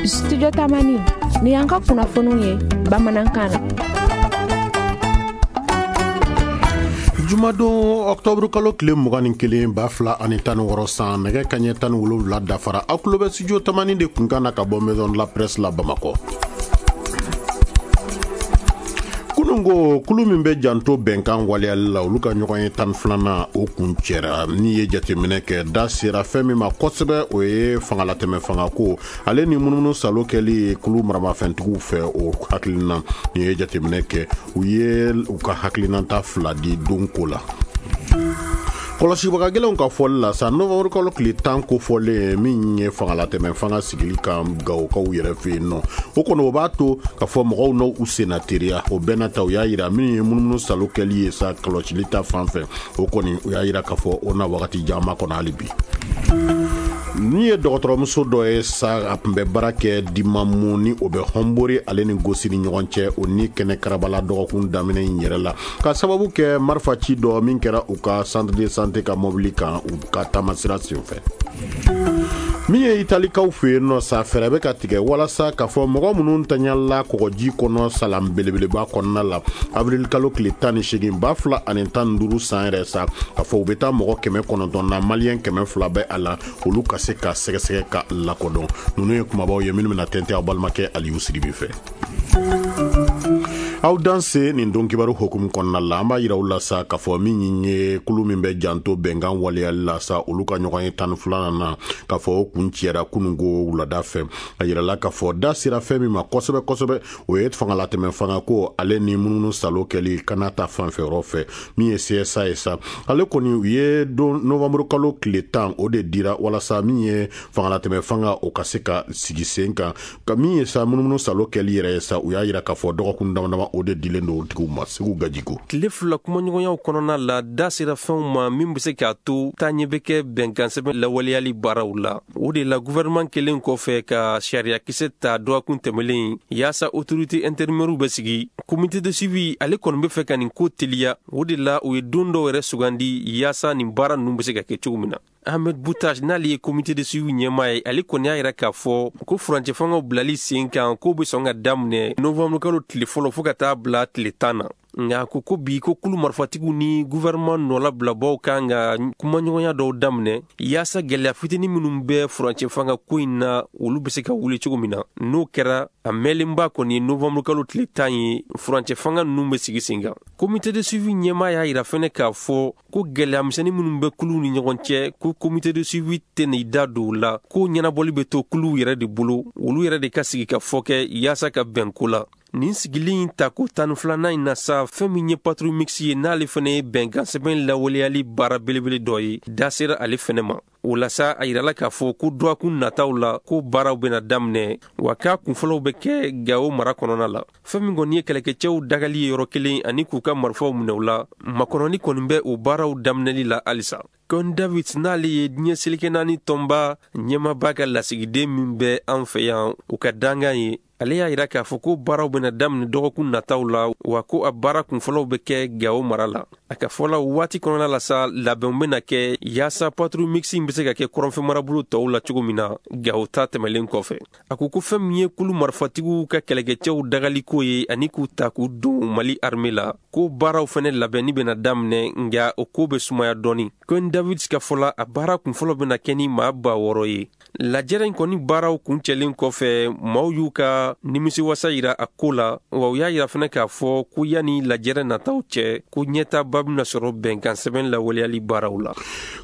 Studio Tamani, ni y'an ka kunnafoniw ye bamanankan na. Jumadon octobre kalo tile 21 2016 san, nɛgɛ kaɲɛ 17 dafara. Aw tulo bɛ studio Tamani de kunkan na ka bɔ Maison de la Presse la Bamakɔ. Kununko kulu min bɛ janto bɛnkan waleyali la, olu ka ɲɔgɔn ye 12nan o kun cɛra. N'i ye jateminɛ kɛ, da sera fɛn min ma kosɛbɛ, o ye fangalatɛmɛ fangako ale ni munumunu salo kɛli kulu maramafɛntigiw fɛ. O hakilina, n'i ye jateminɛ kɛ, u ye u ka hakilinata fila di don ko la. Kɔlɔsibaga gɛlɛnw ka fɔli la sa, novembre kalo tile 10 kofɔlen min ye fangalatɛmɛ fanga sigili kan Gawokaw yɛrɛ fɛ yen nɔ, o kɔni o b'a to ka fɔ mɔgɔw n'u senna teriya. O bɛɛ n'a ta, u y'a yira min ye munumunu salo kɛli ye sa kɔlɔsili ta fan fɛ, o kɔni u y'a yira k'a fɔ o na wagati jan ma kɔnɔ hali bi. Ni ye dɔgɔtɔrɔmuso dɔ ye sa, a tun bɛ baara kɛ Dimamu ni o bɛ Hɔnbori ale ni Gosi ni ɲɔgɔn cɛ, o ni kɛnɛ karabala dɔgɔkun daminɛ in yɛrɛ la, ka sababu kɛ marifaci dɔ min kɛra u ka centre de santé ka mobili kan u ka taamasira senfɛ. Min ye Italikaw fɛ yen nɔ sa, fɛɛrɛ bɛ ka tigɛ walasa k'a fɔ mɔgɔ minnu taɲala kɔgɔji kɔnɔ salan belebeleba kɔnɔna la avril kalo tile 18 2015 san yɛrɛ sa, k'a fɔ u bɛ taa mɔgɔ 900 na, maliyɛn 200 bɛ a la, olu ka se ka sɛgɛsɛgɛ ka lakodɔn. Ninnu ye kumabaw ye minnu bɛna tɛntɛn aw balimakɛ Aliyu Sidibe fɛ. Aw danse nin don kibaru hukumu kɔnɔna la, an b'a yira aw la sa k'a fɔ min ye kulu min bɛ janto bɛnkan waleyali la sa, olu ka ɲɔgɔn ye 12nan na, k'a fɔ o kun cɛra kununko wulada fɛ. A yirala k'a fɔ da sera fɛn min ma kosɛbɛ kosɛbɛ, o ye fangalatɛmɛ fangako ale ni munumunu salo kɛli kana ta fanfɛ yɔrɔ fɛ. Min ye CSA ye sa, ale kɔni u ye don novembre kalo tile 10 o de dira walasa min ye fangalatɛmɛ fanga o ka se ka sigi sen kan. Ka min ye sa munumunu salo kɛli yɛrɛ ye sa, u y'a yira k'a fɔ dɔgɔkun dama dama o de dilen don tigiw ma. Segu Gajiko. Tile fila kumaɲɔgɔnyaw kɔnɔna la, da sera fɛnw ma min bɛ se k'a to taaɲɛ bɛ kɛ bɛnkansɛbɛn lawaleyali baaraw la. O de la, gouvernement kelen kɔfɛ ka sariyakisɛ ta dɔgɔkun tɛmɛlen yaasa autorité intérimaire bɛ sigi, comité de suivi ale kɔni bɛ fɛ ka nin ko teliya. O de la, u ye don dɔw yɛrɛ sugandi yaasa nin baara ninnu bɛ se ka kɛ cogo min na. Ahmed Boutage, n'ale ye comité de suivi ɲɛmaa ye, ale kɔni y'a yira k'a fɔ ko furancɛ fangaw bilali sen kan k'o bɛ sɔn ka daminɛ novembre kalo tile fɔlɔ fo ka taa bila tile 10 na. Nka ko ko bi ko kulu marifatigiw ni gouvernement nɔlabilabaw kan ka kumaɲɔgɔnya dɔw daminɛ yaasa gɛlɛya fitinin minnu bɛ furancɛ fanga ko in na, olu bɛ se ka wuli cogo min na. N'o kɛra, a mɛnlenba kɔni ye novembre kalo tile 10 ye, furancɛ fanga ninnu bɛ sigi sen kan. Comité de suivi ɲɛmaa y'a yira fɛnɛ k'a fɔ ko gɛlɛya misɛnnin minnu bɛ kuluw ni ɲɔgɔn cɛ, ko comité de suivi tɛna i da don o la, ko ɲɛnabɔli bɛ to kuluw yɛrɛ de bolo, olu yɛrɛ de ka sigi ka fɔ kɛ yaasa ka bɛn ko la. Nin sigili in tako 12nan in na sa, fɛn min ye patrouille mixte ye, n'ale fɛnɛ ye bɛnkan sɛbɛn lawaleyali baara belebele dɔ ye, da sera ale fɛnɛ ma. O la sa, a yirala k'a fɔ ko dɔgɔkun nataw la ko baaraw bɛna daminɛ, wa k'a kunfɔlɔw bɛ kɛ Gawo mara kɔnɔna la. Fɛn min kɔni ye kɛlɛkɛcɛw dagali ye yɔrɔ kelen ani k'u ka marifaw minɛ u la, makɔnɔni kɔni bɛ o baaraw daminɛli la halisa. Con David, n'ale ye diɲɛ seleke naani tɔnba ɲɛmaaba ka lasigiden min bɛ an fɛ yan, u ka dankan ye, ale y'a yira k'a fɔ ko baaraw bɛna daminɛ dɔgɔkun nataw la, wa ko a baara kunfɔlɔw bɛ kɛ Gawo mara la. A ka fɔ la, waati kɔnɔna la sa, labɛnw bɛna kɛ yaasa patrouille mixte in bɛ se ka kɛ kɔrɔnfɛ marabolo tɔw la cogo min na Gawo ta tɛmɛlen kɔfɛ. A ko ko fɛn min ye kulu marifatigiw ka kɛlɛkɛcɛw dagaliko ye ani k'u ta k'u don Mali armée la, ko baaraw fɛnɛ labɛnni bɛna daminɛ, nka o ko bɛ sumaya dɔɔni. Con David ka fɔ la, a baara kunfɔlɔ bɛna kɛ ni maa 6000 ye. Lajɛrɛ in kɔni baaraw kuncɛlen kɔfɛ, maaw y'u ka nimisiwasa yira a ko la, wa u y'a yira fɛnɛ k'a fɔ ko yanni lajɛrɛ nataw cɛ, ko ɲɛtaaba bɛna sɔrɔ bɛnkan sɛbɛn lawaleyali baaraw la.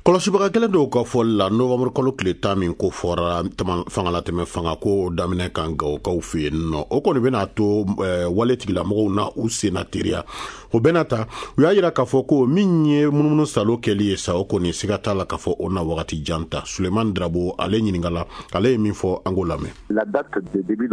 Kɔlɔsibaga kelen dɔw ka fɔli la, novembre kalo tile 10 min ko fɔra fangalatɛmɛ fanga ko daminɛ kan Gawokaw fɛ yen nɔ, o kɔni bɛna to wale tigilamɔgɔw na u senna teriya. O bɛna ta, u y'a yira k'a fɔ ko min ye munumunu salo kɛli ye sa, o kɔni siga t'a la k'a fɔ o na wagati jan ta. Suleiman Drabo ale ɲininkala, ale ye min fɔ, an k'o lamɛn.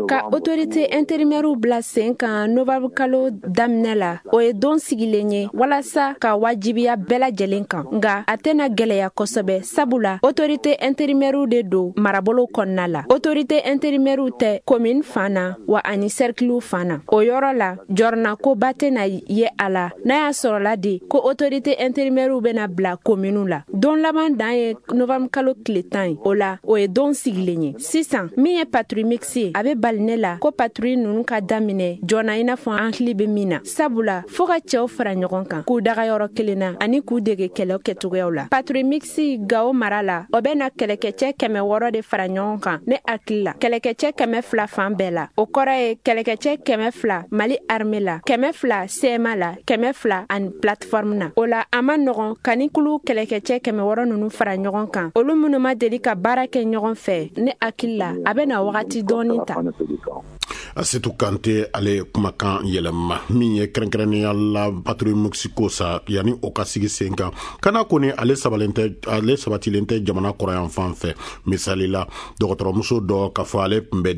Ka autorité intérimaire bila sen kan novembre kalo daminɛ la, o ye don sigilen ye walasa ka wajibiya bɛɛ lajɛlen kan, nka a tɛna gɛlɛya gɛlɛya kosɛbɛ, sabula autorité intérimaire de don marabolo kɔnɔna la. Autorité intérimaire tɛ commune fan na wa ani cercle fan na. O yɔrɔ la, jɔrɔnakoba tɛna ye a la n'a y'a sɔrɔla de ko autorité intérimaire bɛna bila commune la. Don laban dan ye novembre kalo tile 10 ye. O la, o ye don sigilen ye. Sisan, min ye patrouille mixte ye, a bɛ bali ne la ko patrouille ninnu ka daminɛ joona i n'a fɔ an hakili bɛ min na. Sabula, fo ka cɛw fara ɲɔgɔn kan k'u daga yɔrɔ kelen na ani k'u dege kɛlɛ kɛcogoyaw la. Patrouille mixte Gao mara la, o bɛ na kɛlɛkɛcɛ 600 de fara ɲɔgɔn kan ne hakili la. Kɛlɛkɛcɛ 200 fan bɛɛ la. O kɔrɔ ye kɛlɛkɛcɛ 200 Mali armée la, 200 CMA la, 200 ani plateforme na. O la, a ma nɔgɔn ka ni kulu kɛlɛkɛcɛ 600 ninnu fara ɲɔgɔn kan. Olu minnu ma deli ka baara kɛ ɲɔgɔn fɛ, ne hakili la, a bɛ na wagati dɔɔni ta. Asetu Kante ale kumakan yɛlɛma min ye kɛrɛnkɛrɛnnenya la patrouille mixte ko sa yanni o ka sigi sen kan. Kana kɔni ale sabatilen tɛ jamana kɔrɔyan fan fɛ. Misali la, dɔgɔtɔrɔmuso dɔ k'a fɔ ale tun bɛ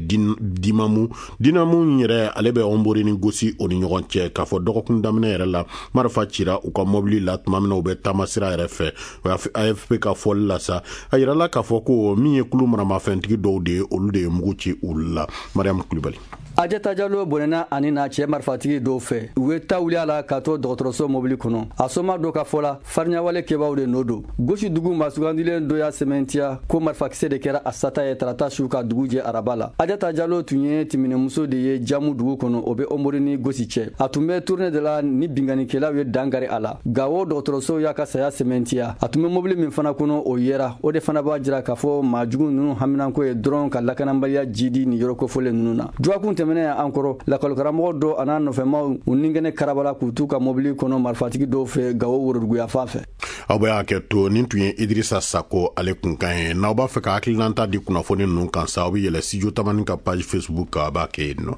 Dimamu yɛrɛ, ale bɛ Ɔnbori ni Gosi o ni ɲɔgɔn cɛ. K'a fɔ dɔgɔkun daminɛ yɛrɛ la, marifa cira u ka mɔbili la tuma min na u bɛ taama sira yɛrɛ fɛ. AFP ka fɔli la sa, a yirala k'a fɔ ko min ye kulu maramafɛntigi dɔw de ye, olu de ye mugu ci u la. Mariam Kulibali. Ajata Jalo bɔnɛna ani n'a cɛ marifatigi dɔw fɛ. U ye ta wuli a la k'a to dɔgɔtɔrɔso mobili kɔnɔ. A soma dɔ ka fɔ la, fariɲawale kɛbaw de nɔ don. Gosi dugu maa sugandilen dɔ y'a sɛmɛntiya ko marifakisɛ de kɛra a sata ye tarata su ka dugu jɛ araba la. Ajata Jalo tun ye timinɛmuso de ye Jamu dugu kɔnɔ, o bɛ Ɔnbori ni Gosi cɛ. A tun bɛ tournée de la ni binkannikɛlaw ye dankari a la. Gawo dɔgɔtɔrɔso y'a ka saya sɛmɛntiya. A tun bɛ mobili min fana kɔnɔ, o yera. O de fana b'a jira k'a fɔ maa jugu ninnu haminanko ye dɔrɔn ka lakanabaliya jidi ni yɔrɔ kofɔlen ninnu na. Dɔgɔkun tɛmɛnen an kɔrɔ, lakɔlikaramɔgɔ dɔ a n'a nɔfɛmaw u ninkɛnɛ karabala k'u t'u ka mobili kɔnɔ marifatigi dɔw fɛ Gawo woroduguya fan fɛ. Aw bɛ hakɛ to, nin tun ye Idrissa Sako ale kunkan ye. N'aw b'a fɛ ka hakilinata di kunnafoni ninnu kan sa, aw bɛ yɛlɛ Studio Tamani ka page Facebook kan, a b'a kɛ yen nɔ.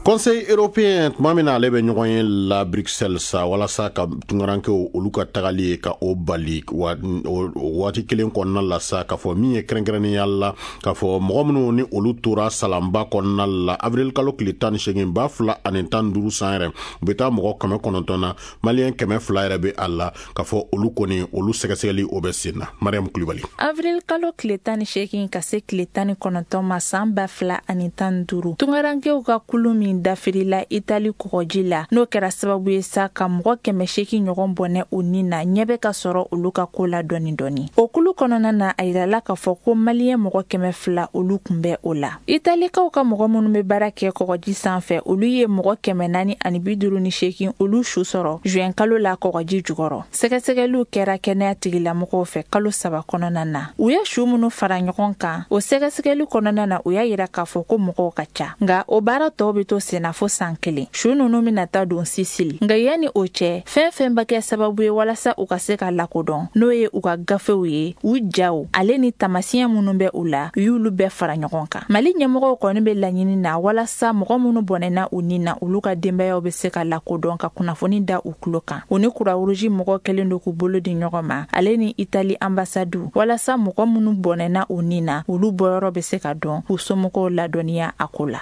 Conseil européen tuma min na ale bɛ ɲɔgɔn ye la Bruxelles sa, walasa ka tunkarankew olu ka tagali ye ka o bali waati kelen kɔnɔna la sa, k'a fɔ min ye kɛrɛnkɛrɛnnenya la, k'a fɔ mɔgɔ minnu ni olu tora salanba kɔnɔna la avril kalo tile 18 2015 san yɛrɛ, u bɛ taa mɔgɔ 900 na, maliyɛn 200 yɛrɛ bɛ a la, k'a fɔ olu kɔni olu sɛgɛsɛgɛli o bɛ sen na. Mariam Kulibali. Avril kalo tile 18 ka se tile 19 ma san 2015, tunkarankew ka kulu min dafirila Itali kɔgɔji la, n'o kɛra sababu ye sa ka mɔgɔ 800 ɲɔgɔn bɔnɛ u ni na, ɲɛ bɛ ka sɔrɔ olu ka ko la dɔɔni dɔɔni. O kulu kɔnɔna na, a yirala k'a fɔ ko maliyɛn mɔgɔ 200 olu kun bɛ o la. Italikaw ka mɔgɔ minnu bɛ baara kɛ kɔgɔji sanfɛ, olu ye mɔgɔ 458 olu su sɔrɔ juin kalo la kɔgɔji jukɔrɔ. Sɛgɛsɛgɛliw kɛra kɛnɛya tigilamɔgɔw fɛ kalo 3 kɔnɔna na. U ye su minnu fara ɲɔgɔn kan, o sɛgɛsɛgɛli kɔnɔna na, u y'a yira k'a fɔ ko mɔgɔw ka ca, nka o baara tɔw bɛ to senna fo san 1. Su ninnu bɛna taa don Sisili. Nka yanni o cɛ, fɛn fɛn bɛ kɛ sababu ye walasa u ka se ka lakodɔn, n'o ye u ka gafew ye, u jaw, ale ni taamasiyɛn minnu bɛ u la, u y'olu bɛɛ fara ɲɔgɔn kan. Mali ɲɛmɔgɔw kɔni bɛ laɲini na walasa mɔgɔ minnu bɔnɛna u ni na, olu ka denbayaw bɛ se ka lakodɔn ka kunnafoni da u tulo kan. U ni Croix-Rouge mɔgɔw kɛlen don k'u bolo di ɲɔgɔn ma, ale ni Itali ambassade, walasa mɔgɔ minnu bɔnɛna u ni na, olu bɔyɔrɔ bɛ se ka dɔn, k'u somɔgɔw ladɔnniya a ko la.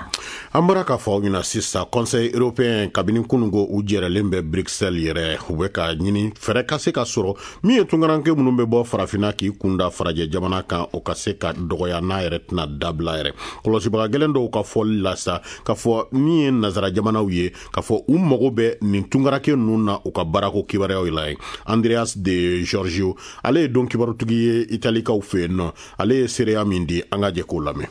An bɔra k'a fɔ aw ɲɛna sisan, Conseil européen kabini kununko u jɛrɛlen bɛ Bruxelles yɛrɛ, u bɛ ka ɲini fɛɛrɛ ka se ka sɔrɔ min ye tunkaranke minnu bɛ bɔ farafinna k'i kunda farajɛ jamana kan, o ka se ka dɔgɔya n'a yɛrɛ tɛna dabila yɛrɛ. Kɔlɔsibaga gɛlɛn dɔw ka fɔli la sa, k'a fɔ min ye nazara jamanaw ye, k'a fɔ u mago bɛ nin tunkaranke ninnu na u ka baarako kibaruyaw la ye. Andreas de Giorgio, ale ye don kibarutigi ye Italikaw fɛ yen nɔ, ale ye seereya min di, an ka jɛ k'o lamɛn.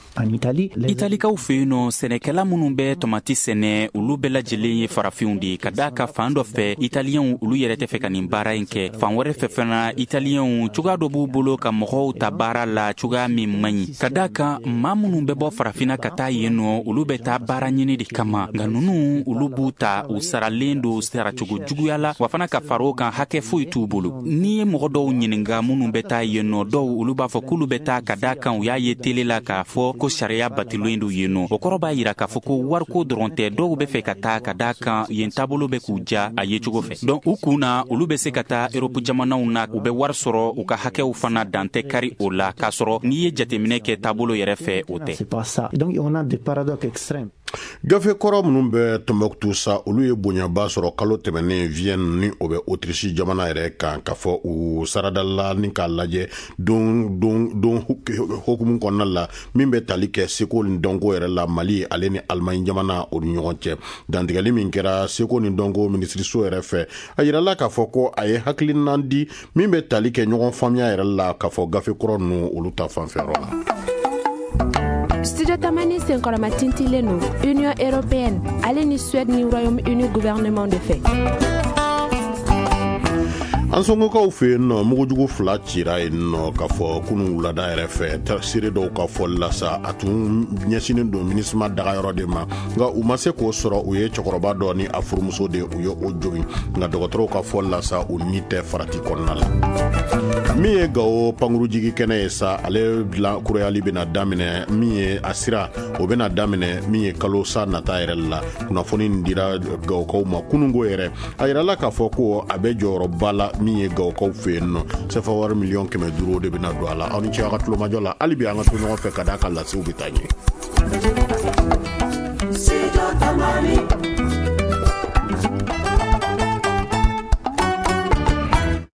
Italikaw fɛ yen nɔ, sɛnɛkɛla minnu bɛ tomati sɛnɛ, olu bɛɛ lajɛlen ye farafinw de ye. Ka d'a kan fan dɔ fɛ, italiyɛnw olu yɛrɛ tɛ fɛ ka nin baara in kɛ. Fan wɛrɛ fɛ fana, italiyɛnw cogoya dɔ b'u bolo ka mɔgɔw ta baara la cogoya min man ɲi. Ka d'a kan maa minnu bɛ bɔ farafinna ka taa yen nɔ, olu bɛ taa baara ɲini de kama. Nka ninnu olu b'u ta, u saralen don saracogo juguya la, wa fana ka fara o kan hakɛ foyi t'u bolo. N'i ye mɔgɔ dɔw ɲininka minnu bɛ taa yen nɔ, dɔw olu b'a fɔ k'olu bɛ taa ka d'a kan u y'a ye tele la k'a fɔ ko sariya batilen don yen nɔ. O kɔrɔ b'a yira k'a fɔ ko wariko dɔrɔn tɛ, dɔw bɛ fɛ ka taa ka d'a kan yen taabolo bɛ k'u ja a ye cogo fɛ. Donc u kun na, olu bɛ se ka taa Europe jamanaw na, u bɛ wari sɔrɔ, u ka hakɛw fana dan tɛ kari o la, k'a sɔrɔ n'i ye jateminɛ kɛ taabolo yɛrɛ fɛ, o tɛ. Gafe kɔrɔ minnu bɛ Tɔnbɔkutu sa, olu ye bonyaba sɔrɔ kalo tɛmɛnen Vienne, ni o bɛ Autriche jamana yɛrɛ kan, k'a fɔ u saradala ni k'a lajɛ don don don hokumu kɔnɔna la min bɛ tali kɛ seko ni dɔnko yɛrɛ la Mali ale ni Allemagne jamana o ni ɲɔgɔn cɛ. Dantigɛli min kɛra seko ni dɔnko minisiriso yɛrɛ fɛ, a yirala k'a fɔ ko a ye hakilinan di min bɛ tali kɛ ɲɔgɔn faamuya yɛrɛ la, k'a fɔ gafe kɔrɔ ninnu olu ta fanfɛyɔrɔ la. Studio Tamani senkɔrɔma tintilen don Union européenne ale ni Suède ni Royaume Uni gouvernement de fɛ. An sɔngɔkaw fɛ yen nɔ, mugujugu fila cira yen nɔ k'a fɔ kunun wulada yɛrɛ fɛ. Seere dɔw ka fɔli la sa, a tun ɲɛsinnen don MINUSMA dagayɔrɔ de ma, nka u ma se k'o sɔrɔ. U ye cɛkɔrɔba dɔ ni a furumuso de, u ye o jogin, nka dɔgɔtɔrɔw ka fɔli la sa, u ni tɛ farati kɔnɔna la. Min ye Gawo pankurujigi kɛnɛ ye sa, ale dilan kurayali bɛna daminɛ, min ye a sira o bɛna daminɛ min ye kalo sa nata yɛrɛ la. Kunnafoni nin dira Gawokaw ma kununko yɛrɛ. A yirala k'a fɔ ko a bɛ jɔyɔrɔba la min ye Gawokaw fɛ yen nɔ. Sefa wari miliyɔn 500 de bɛna don a la. Aw ni ce aw ka tulomajɔ la. Hali bi an ka to ɲɔgɔn fɛ ka d'a ka lasew bɛ taa ɲɛ.